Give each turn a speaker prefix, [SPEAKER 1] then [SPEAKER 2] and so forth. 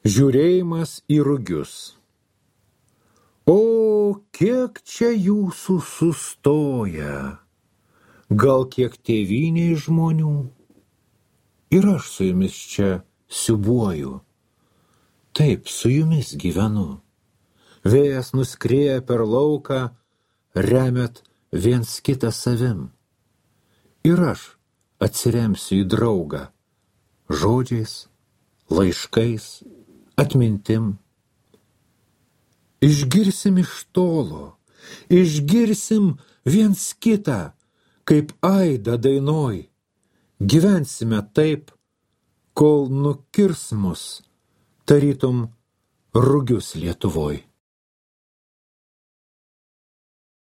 [SPEAKER 1] Žiūrėjimas į rugius. O, kiek čia jūsų sustoja, gal kiek tėvynėj žmonių, ir aš su jumis čia siubuoju, taip su jumis gyvenu. Vėjas nuskrieja per lauką, remiat viens kitą savim. Ir aš atsiremsiu į draugą, žodžiais, laiškais, atmintim. Išgirsim iš tolo, išgirsim viens kitą, kaip aidą dainoj. Gyvensime taip, kol nukirs mus, tarytum rugius Lietuvoj.